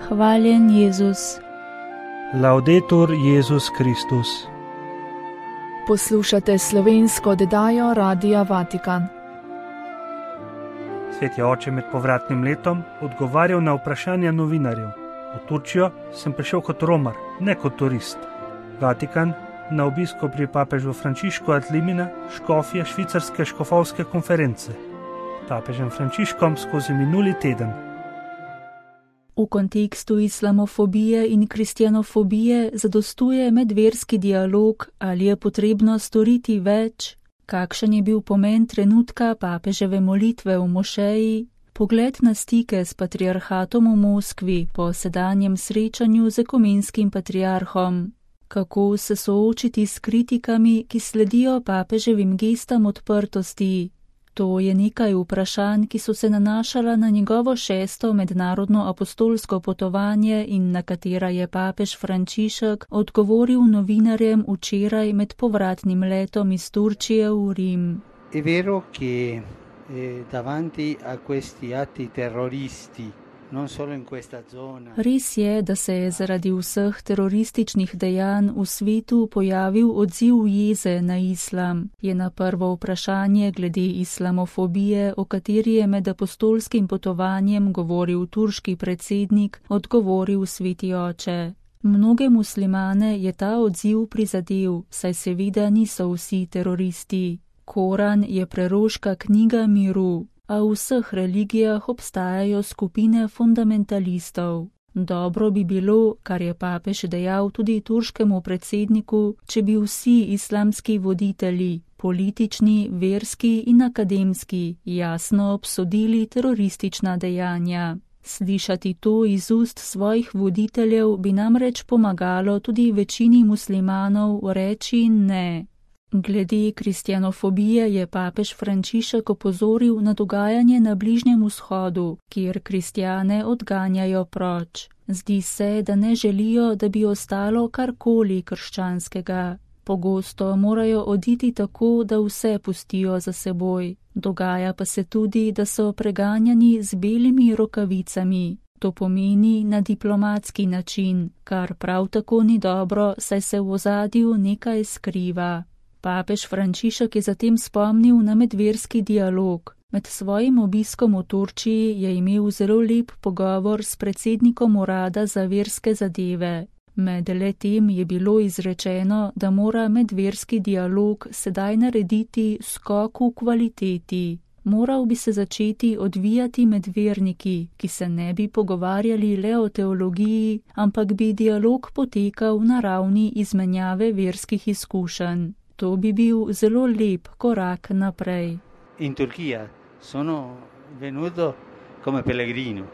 Hvaljen Jezus. Laudetur Jezus Kristus. Poslušate slovensko oddajo Radia Vatikan. Sveti oče med povratnim letom odgovarjal na vprašanja novinarjev. V Turčijo sem prišel kot romar, ne kot turist. Vatikan na obisku pri papežu Frančišku ad limina škofje švicarske škofovske konference. Papežem Frančiškom skozi minuli teden. V kontekstu islamofobije in kristjanofobije zadostuje medverski dialog, ali je potrebno storiti več, kakšen je bil pomen trenutka papeževe molitve v mošeji, pogled na stike s patriarhatom v Moskvi po sedanjem srečanju z ekumenskim patriarhom, kako se soočiti s kritikami, ki sledijo papeževim gestam odprtosti. To je nekaj vprašanj, ki so se nanašala na njegovo 6. mednarodno apostolsko potovanje in na katera je papež Frančišek odgovoril novinarjem včeraj med povratnim letom iz Turčije v Rim. È vero che davanti a questi atti terroristi, non solo in questa zona. Res je, da se je zaradi vseh terorističnih dejanj v svetu pojavil odziv jeze na islam, je na prvo vprašanje glede islamofobije, o kateri je med apostolskim potovanjem govoril turški predsednik, odgovoril sveti oče. Mnoge muslimane je ta odziv prizadel, saj seveda niso vsi teroristi. Koran je preroška knjiga miru, a v vseh religijah obstajajo skupine fundamentalistov. Dobro bi bilo, kar je papež dejal tudi turškemu predsedniku, če bi vsi islamski voditelji, politični, verski in akademski, jasno obsodili teroristična dejanja. Slišati to iz ust svojih voditeljev bi namreč pomagalo tudi večini muslimanov reči ne. Glede kristjanofobije je papež Frančišek opozoril na dogajanje na Bližnjem vzhodu, kjer kristjane odganjajo proč. Zdi se, da ne želijo, da bi ostalo karkoli krščanskega. Pogosto morajo oditi tako, da vse pustijo za seboj. Dogaja pa se tudi, da so preganjani z belimi rokavicami. To pomeni na diplomatski način, kar prav tako ni dobro, saj se v ozadju nekaj skriva. Papež Frančišek je zatem spomnil na medverski dialog. Med svojim obiskom v Turčiji je imel zelo lep pogovor s predsednikom urada za verske zadeve. Med letem je bilo izrečeno, da mora medverski dialog sedaj narediti skok v kvaliteti. Moral bi se začeti odvijati med verniki, ki se ne bi pogovarjali le o teologiji, ampak bi dialog potekal na ravni izmenjave verskih izkušenj. To bi bil zelo lep korak naprej. In Turčija sono venuto come pellegrino,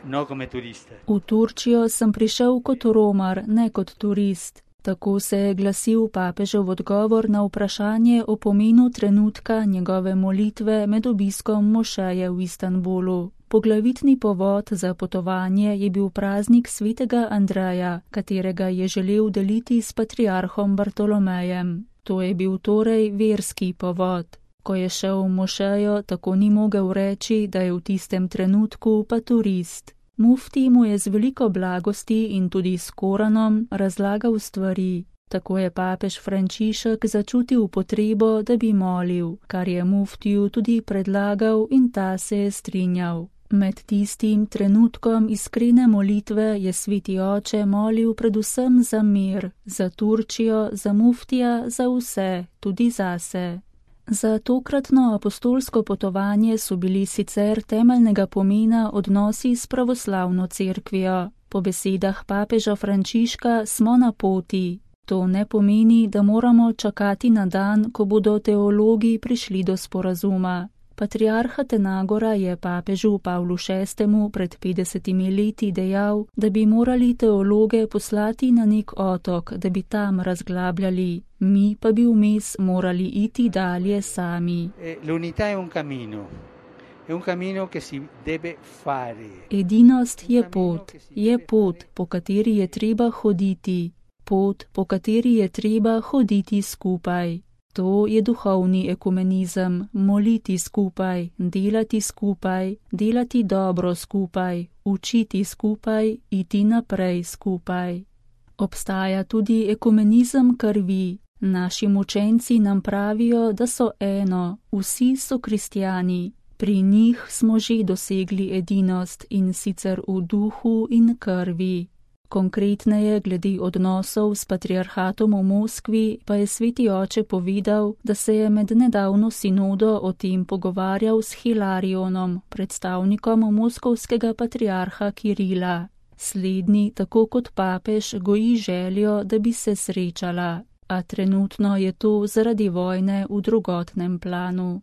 no come turista. V Turčijo sem prišel kot romar, ne kot turist. Tako se je glasil papežev odgovor na vprašanje o pomenu trenutka njegove molitve med obiskom mošeje v Istanbulu. Poglavitni povod za potovanje je bil praznik svetega Andreja, katerega je želel deliti s patriarhom Bartolomejem. To je bil torej verski povod. Ko je šel v mošejo, tako ni mogel reči, da je v tistem trenutku pa turist. Mufti mu je z veliko blagosti in tudi s Koranom razlagal stvari. Tako je papež Frančišek začutil potrebo, da bi molil, kar je muftiju tudi predlagal in ta se je strinjal. Med tistim trenutkom iskrene molitve je sveti oče molil predvsem za mir, za Turčijo, za muftija, za vse, tudi zase. Za tokratno apostolsko potovanje so bili sicer temeljnega pomena odnosi s pravoslavno cerkvijo. Po besedah papeža Frančiška smo na poti. To ne pomeni, da moramo čakati na dan, ko bodo teologi prišli do sporazuma. Patriarh Atenagora je papežu Pavlu VI. Pred 50 leti dejal, da bi morali teologe poslati na nek otok, da bi tam razglabljali. Mi pa bi vmes morali iti dalje sami. L'unità è un cammino. È un cammino che si deve fare. Edinost je pot, po kateri je treba hoditi. Pot, po kateri je treba hoditi skupaj. To je duhovni ekumenizem, moliti skupaj, delati dobro skupaj, učiti skupaj, iti naprej skupaj. Obstaja tudi ekumenizem krvi. Naši mučenci nam pravijo, da so eno, vsi so kristjani. Pri njih smo že dosegli edinost in sicer v duhu in krvi. Konkretneje glede odnosov s patriarhatom v Moskvi pa je sveti oče povedal, da se je med nedavno sinodo o tem pogovarjal s Hilarionom, predstavnikom moskovskega patriarha Kirila. Slednji, tako kot papež, goji željo, da bi se srečala, a trenutno je to zaradi vojne v drugotnem planu.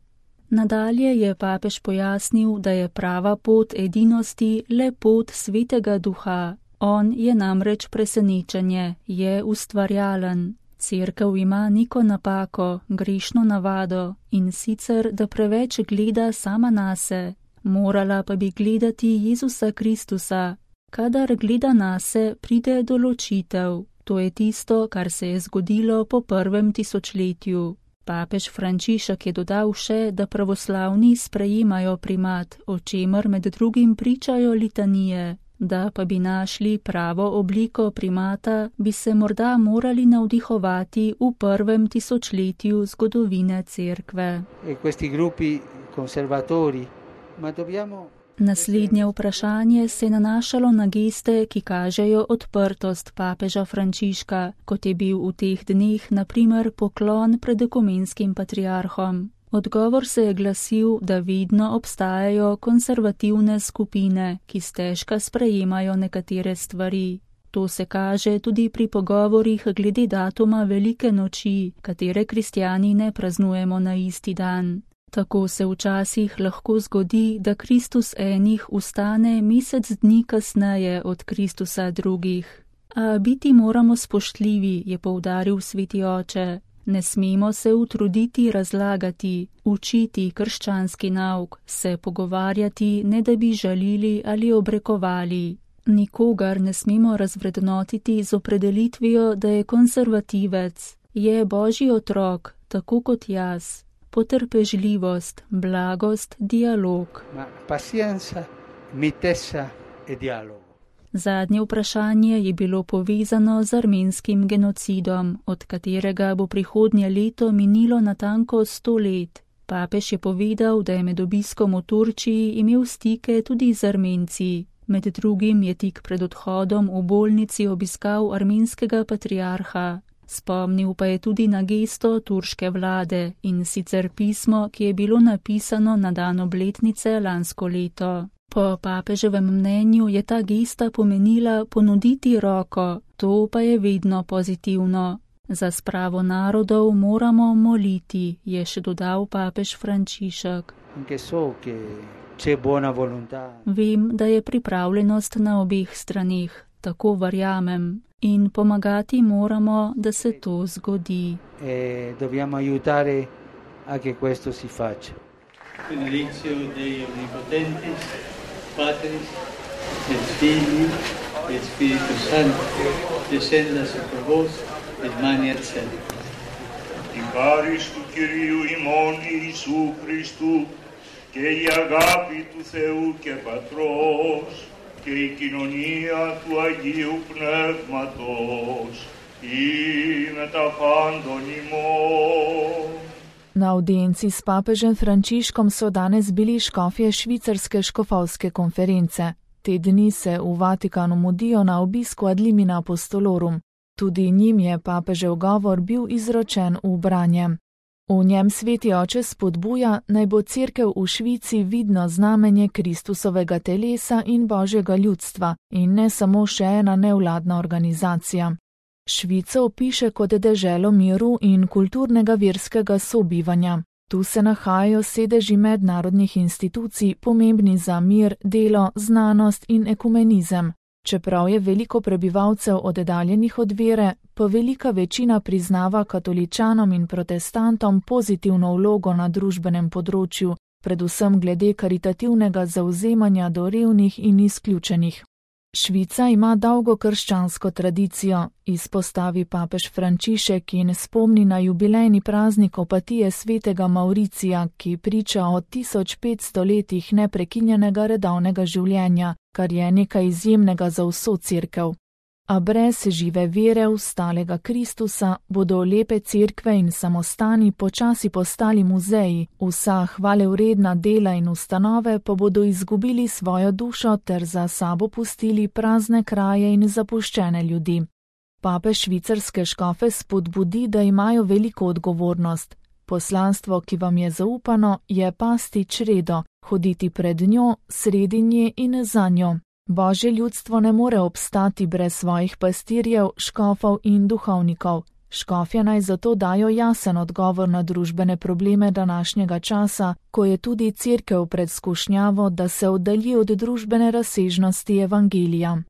Nadalje je papež pojasnil, da je prava pot edinosti le pot svetega duha. On je namreč presenečenje, je ustvarjalen. Cerkev ima neko napako, grešno navado, in sicer, da preveč gleda sama nase. Morala pa bi gledati Jezusa Kristusa. Kadar gleda nase, pride do ločitev. To je tisto, kar se je zgodilo po 1. tisočletju. Papež Frančišek je dodal še, da pravoslavni sprejemajo primat, o čemer med drugim pričajo litanije. Da pa bi našli pravo obliko primata, bi se morda morali navdihovati v 1. tisočletju zgodovine cerkve. Naslednje vprašanje se je nanašalo na geste, ki kažejo odprtost papeža Frančiška, kot je bil v teh dneh na primer poklon pred ekumenskim patriarhom. Odgovor se je glasil, da vedno obstajajo konservativne skupine, ki stežka sprejemajo nekatere stvari. To se kaže tudi pri pogovorih glede datuma Velike noči, katere kristjani ne praznujemo na isti dan. Tako se včasih lahko zgodi, da Kristus enih ustane mesec dni kasneje od Kristusa drugih. A biti moramo spoštljivi, je poudaril sveti oče. Ne smemo se utruditi razlagati, učiti krščanski nauk, se pogovarjati, ne da bi žalili ali obrekovali. Nikogar ne smemo razvrednotiti z opredelitvijo, da je konservativec, je Božji otrok, tako kot jaz. Potrpežljivost, blagost, dialog. Pazienza, mitezza e dialogo. Zadnje vprašanje je bilo povezano z armenskim genocidom, od katerega bo prihodnje leto minilo natanko 100 let. Papež je povedal, da je med obiskom v Turčiji imel stike tudi z Armenci. Med drugim je tik pred odhodom v bolnici obiskal armenskega patriarha. Spomnil pa je tudi na gesto turške vlade, in sicer pismo, ki je bilo napisano na dan obletnice lansko leto. Po papeževem mnenju je ta gesta pomenila ponuditi roko, to pa je vedno pozitivno. Za spravo narodov moramo moliti, je še dodal papež Frančišek. Vem, da je pripravljenost na obeh straneh, tako verjamem, in pomagati moramo, da se to zgodi. Dobbiamo aiutare a che questo si faccia. Benedictio Dei Omnipotentis, Patris, et Filii, et Spiritus Sancti, descenda super vos, et maniat semper. Την χάρις του Κυρίου ημών Ιησού Χριστού και η αγάπη του Θεού και Πατρός και η κοινωνία του Αγίου Πνεύματος ή με τα πάντων ημών. Na audienci s papežem Frančiškom so danes bili škofje švicarske škofovske konference. Te dni se v Vatikanu mudijo na obisku ad limina apostolorum. Tudi njim je papežev govor bil izročen v branje. V njem sveti oče spodbuja, naj bo cerkev v Švici vidno znamenje Kristusovega telesa in Božjega ljudstva in ne samo še ena nevladna organizacija. Švico opiše kot deželo miru in kulturnega verskega sobivanja. Tu se nahajajo sedeži mednarodnih institucij, pomembni za mir, delo, znanost in ekumenizem. Čeprav je veliko prebivalcev oddaljenih od vere, pa velika večina priznava katoličanom in protestantom pozitivno vlogo na družbenem področju, predvsem glede karitativnega zavzemanja do revnih in izključenih. Švica ima dolgo krščansko tradicijo, izpostavi papež Frančišek in spomni na jubilejni praznik opatije svetega Mauricija, ki priča o 1500 letih neprekinjenega redovnega življenja, kar je nekaj izjemnega za vso cerkev. A brez žive vere v stalega Kristusa bodo lepe cerkve in samostani počasi postali muzeji, vsa hvalevredna dela in ustanove pa bodo izgubili svojo dušo ter za sabo pustili prazne kraje in zapuščene ljudi. Papež švicarske škofe spodbudi, da imajo veliko odgovornost. Poslanstvo, ki vam je zaupano, je pasti čredo, hoditi pred njo, sredi nje in za njo. Božje ljudstvo ne more obstati brez svojih pastirjev, škofov in duhovnikov. Škofje naj zato dajo jasen odgovor na družbene probleme današnjega časa, ko je tudi cerkev pred skušnjavo, da se oddalji od družbene razsežnosti evangelija.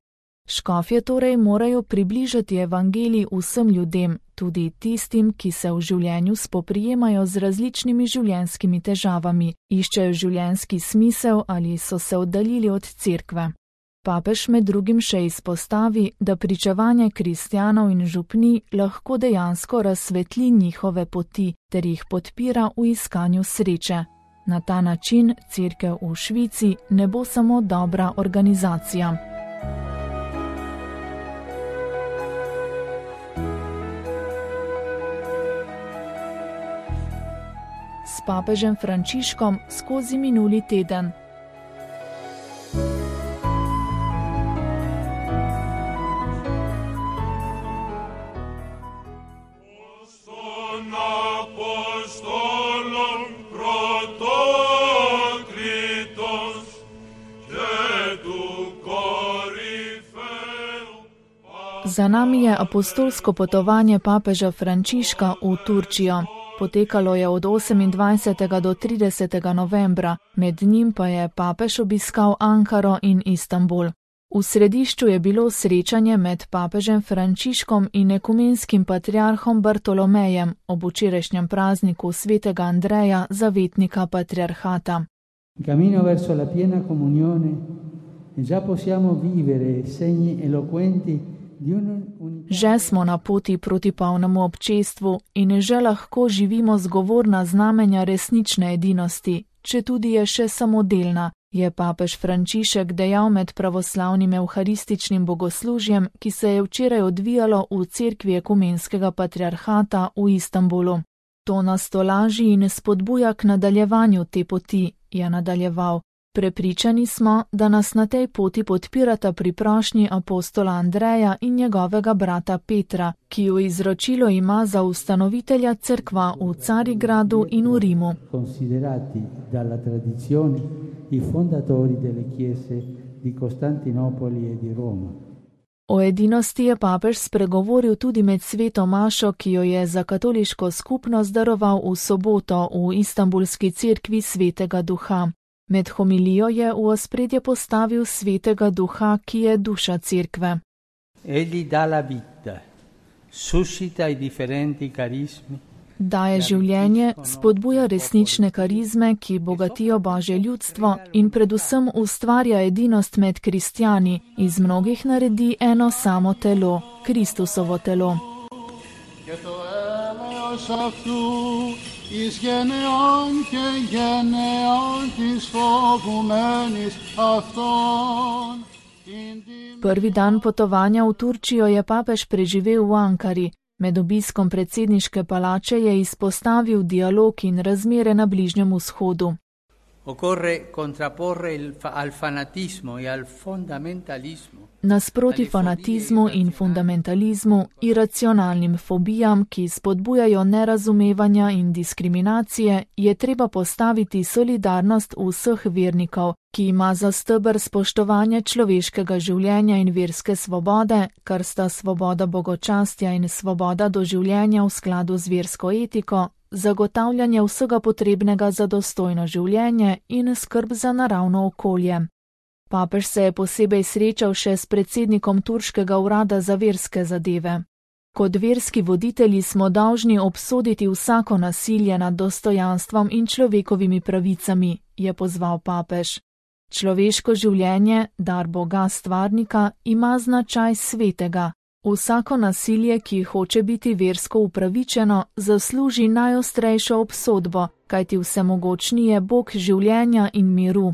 Škofje torej morajo približati evangelij vsem ljudem, tudi tistim, ki se v življenju spoprijemajo z različnimi življenjskimi težavami, iščejo življenjski smisel ali so se oddaljili od cerkve. Papež med drugim še izpostavi, da pričevanje kristjanov in župnij lahko dejansko razsvetli njihove poti ter jih podpira v iskanju sreče. Na ta način cerkev v Švici ne bo samo dobra organizacija. S papežem Frančiškom skozi minuli teden. Za nami je apostolsko potovanje papeža Frančiška v Turčijo. Potekalo je od 28. do 30. novembra, med njim pa je papež obiskal Ankaro in Istanbul. V središču je bilo srečanje med papežem Frančiškom in ekumenskim patriarhom Bartolomejem ob včerajšnjem prazniku svetega Andreja, zavetnika patriarhata. Cammino verso la piena comunione e già possiamo vivere segni eloquenti. Že smo na poti proti polnemu občestvu in že lahko živimo zgovorna znamenja resnične edinosti, če tudi je še samodelna, je papež Frančišek dejal med pravoslavnim evharističnim bogoslužjem, ki se je včeraj odvijalo v cerkvi ekumenskega patriarhata v Istanbulu. To nas tolaži in spodbuja k nadaljevanju te poti, je nadaljeval. Prepričani smo, da nas na tej poti podpirata pri prošnji apostola Andreja in njegovega brata Petra, ki jo izročilo ima za ustanovitelja cerkva v Carigradu in v Rimu. Considerati dalla tradizione i fondatori delle chiese di Costantinopoli e di Roma. O edinosti je papež spregovoril tudi med sveto mašo, ki jo je za katoliško skupnost daroval v soboto v Istanbulski cerkvi Svetega Duha. Med homilijo je v ospredje postavil Svetega Duha, ki je duša cerkve. Egli dà la vita, suscita i differenti carismi. Daje življenje, spodbuja resnične karizme, ki bogatijo Božje ljudstvo in predvsem ustvarja edinost med kristjani, iz mnogih naredi eno samo telo, Kristusovo telo. Εις γενεών και γενεών της φοβουμένης αυτόν. Prvi dan potovanja v Turčijo je papež preživel v Ankari. Med obiskom predsedniške palače je izpostavil dialog in razmere na Bližnjem vzhodu. Occorre contrapporre al fanatismo e al fondamentalismo. Nasproti fanatizmu in fundamentalizmu, iracionalnim fobijam, ki spodbujajo nerazumevanja in diskriminacije, je treba postaviti solidarnost vseh vernikov, ki ima za steber spoštovanje človeškega življenja in verske svobode, kar sta svoboda bogočastja in svoboda do življenja v skladu z versko etiko, zagotavljanje vsega potrebnega za dostojno življenje in skrb za naravno okolje. Papež se je posebej srečal še s predsednikom turškega urada za verske zadeve. Kot verski voditelji smo dolžni obsoditi vsako nasilje nad dostojanstvom in človekovimi pravicami, je pozval papež. Človeško življenje, dar Boga stvarnika, ima značaj svetega. Vsako nasilje, ki hoče biti versko upravičeno, zasluži najostrejšo obsodbo, kajti vsemogočni je Bog življenja in miru.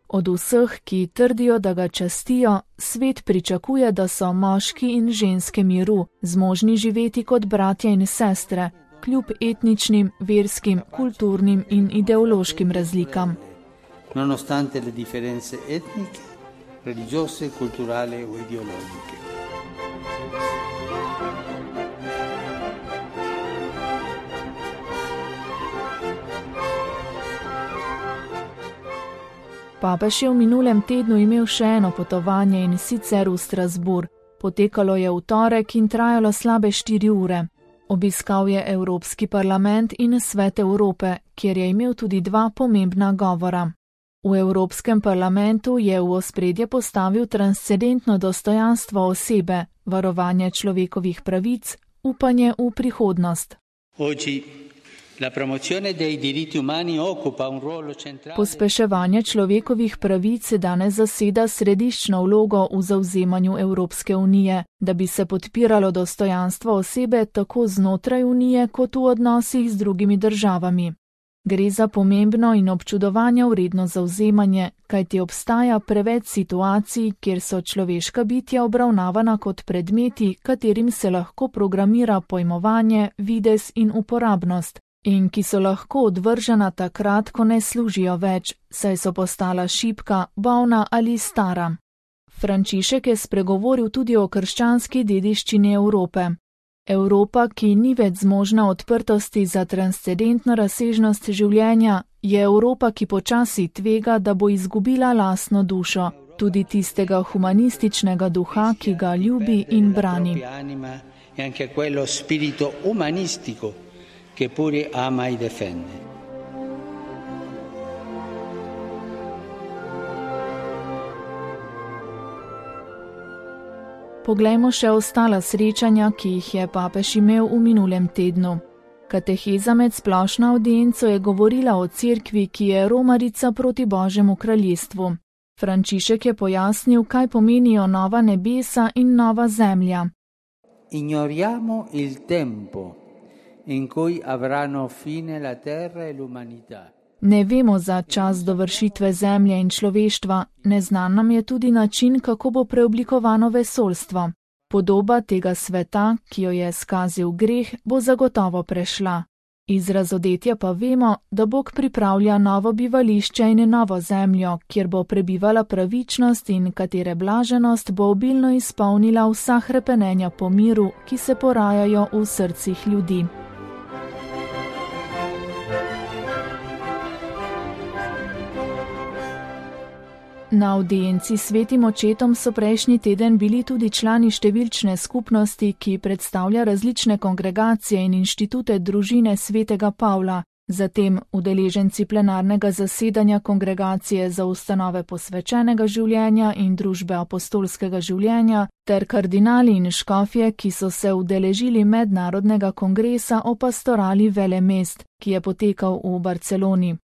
Od vseh, ki trdijo, da ga častijo, svet pričakuje, da so moški in ženske miru, zmožni živeti kot bratje in sestre, kljub etničnim, verskim, kulturnim in ideološkim razlikam. Nonostante le differenze etniche, religiose, culturali o ideologiche. Papež je v minulem tednu imel še eno potovanje, in sicer v Strasbourg. Potekalo je v torek in trajalo slabe 4 ure. Obiskal je Evropski parlament in Svet Evrope, kjer je imel tudi 2 pomembna govora. V Evropskem parlamentu je v ospredje postavil transcendentno dostojanstvo osebe, varovanje človekovih pravic, upanje v prihodnost. Pospeševanje človekovih pravic danes zaseda središčno vlogo v zavzemanju Evropske unije, da bi se podpiralo dostojanstvo osebe tako znotraj unije kot v odnosih z drugimi državami. Gre za pomembno in občudovanja vredno zavzemanje, kajti obstaja preveč situacij, kjer so človeška bitja obravnavana kot predmeti, katerim se lahko programira pojmovanje, videz in uporabnost, in ki so lahko odvržena takrat, ko ne služijo več, saj so postala šibka, bolna ali stara. Frančišek je spregovoril tudi o krščanski dediščini Evrope. Evropa, ki ni več zmožna odprtosti za transcendentno razsežnost življenja, je Evropa, ki počasi tvega, da bo izgubila lastno dušo, tudi tistega humanističnega duha, ki ga ljubi in brani. Poglejmo še ostala srečanja, ki jih je papež imel v minulem tednu. Kateheza med splošno avdienco je govorila o cerkvi, ki je romarica proti Božjemu kraljestvu. Frančišek je pojasnil, kaj pomenijo nova nebesa in nova zemlja. Ignoriamo il tempo in cui avranno fine la terra e l'umanità. Ne vemo za čas dovršitve zemlje in človeštva, neznan nam je tudi način, kako bo preoblikovano vesoljstvo. Podoba tega sveta, ki jo je skazil greh, bo zagotovo prešla. Iz razodetja pa vemo, da Bog pripravlja novo bivališče in novo zemljo, kjer bo prebivala pravičnost in katere blaženost bo obilno izpolnila vsa hrepenenja po miru, ki se porajajo v srcih ljudi. Na avdienci s Svetim očetom so prejšnji teden bili tudi člani številčne skupnosti, ki predstavlja različne kongregacije in inštitute družine svetega Pavla, zatem udeleženci plenarnega zasedanja kongregacije za ustanove posvečenega življenja in družbe apostolskega življenja ter kardinali in škofje, ki so se udeležili mednarodnega kongresa o pastorali velemest, ki je potekal v Barceloni.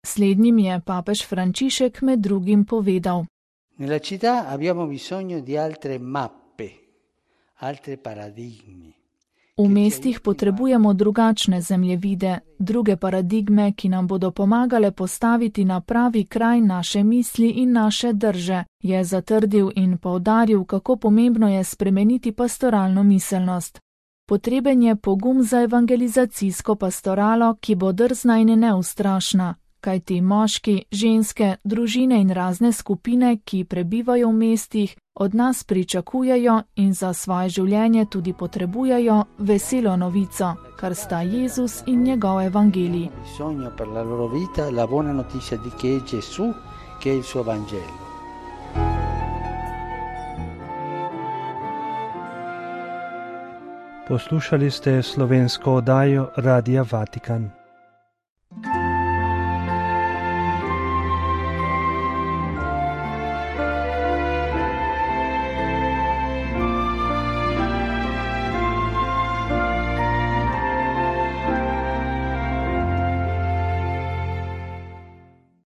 Slednjim je papež Frančišek med drugim povedal: Nella città abbiamo bisogno di altre mappe, altre paradigmi. V mestih potrebujemo drugačne zemljevide, druge paradigme, ki nam bodo pomagale postaviti na pravi kraj naše misli in naše drže, je zatrdil in poudaril, kako pomembno je spremeniti pastoralno miselnost. Potreben je pogum za evangelizacijsko pastoralo, ki bo drzna in neustrašna, kajti moški, ženske, družine in razne skupine, ki prebivajo v mestih, od nas pričakujejo in za svoje življenje tudi potrebujejo veselo novico, kar sta Jezus in njegov evangelij. Poslušali ste slovensko oddajo Radia Vatikan.